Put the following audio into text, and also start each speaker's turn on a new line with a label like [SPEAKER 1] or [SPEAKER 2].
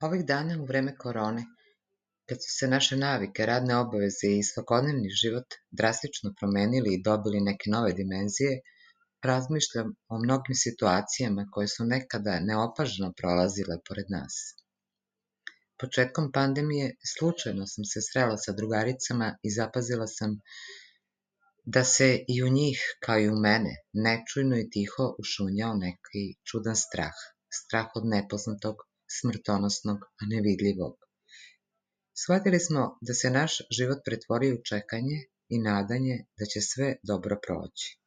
[SPEAKER 1] Ovih dana u vreme korone, kad su se naše navike, radne obaveze i svakodnevni život drastično promenili i dobili neke nove dimenzije, razmišljam o mnogim situacijama koje su nekada neopažno prolazile pored nas. Početkom pandemije slučajno sam se srela sa drugaricama i zapazila sam da se i u njih, kao i u mene, nečujno i tiho ušunjao neki čudan strah. Strah od nepoznatog, smrtonosnog, a nevidljivog. Shvatili smo da se naš život pretvorio u čekanje i nadanje da će sve dobro proći.